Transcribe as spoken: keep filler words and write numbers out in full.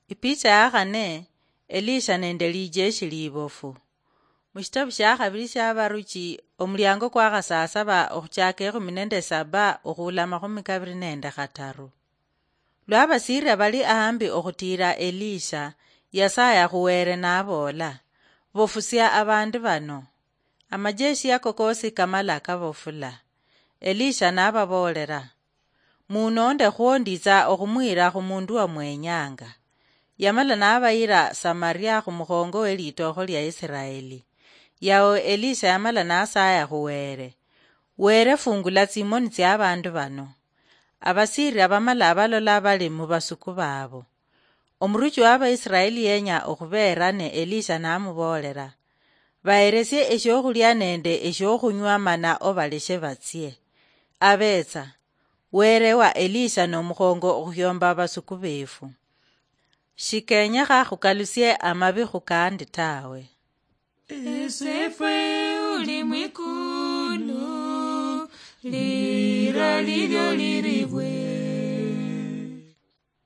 Ipicha ya khane, Elisha nende lijeshi libofu. Mushitabu shia khabili shia Baruchi, omuliango kwa khasasaba okhuchaka ekhumi nende saba okhula amakhumi kabili nende khataru. Lwa Abasiria bali ahambi okhutiira Elisha, Yasaye akhuweere naboola, "Bofusia abandu bano." Amajeshi ako koosi kamala kabofula. Elisha nababoolera, "Munonde khwo nditsa okhumwiira khu mundu wa mwenyanga." Yamala nabayira Samaria khu mukhongo we litookho lya Isiraeli. Yao Elisha yamala nasaya khu Were, "Were, fungula tsimoni tsia abandu bano." Abasiria bamala balola bali mu basuku baabo. Omuruchi wa Abaisiraeli yenya okhubeera ne Elisha namuboolera, "Baheresie eshiokhulia nende eshiokhunywa mana obaleshe batsie." Abetsa, Were wa Elisha nomukhongo okhuyomba abasuku befu. Shikenyekha khukalusie amabi khukandi tawe. Esefwe uli mwikulu, lira lilyo liri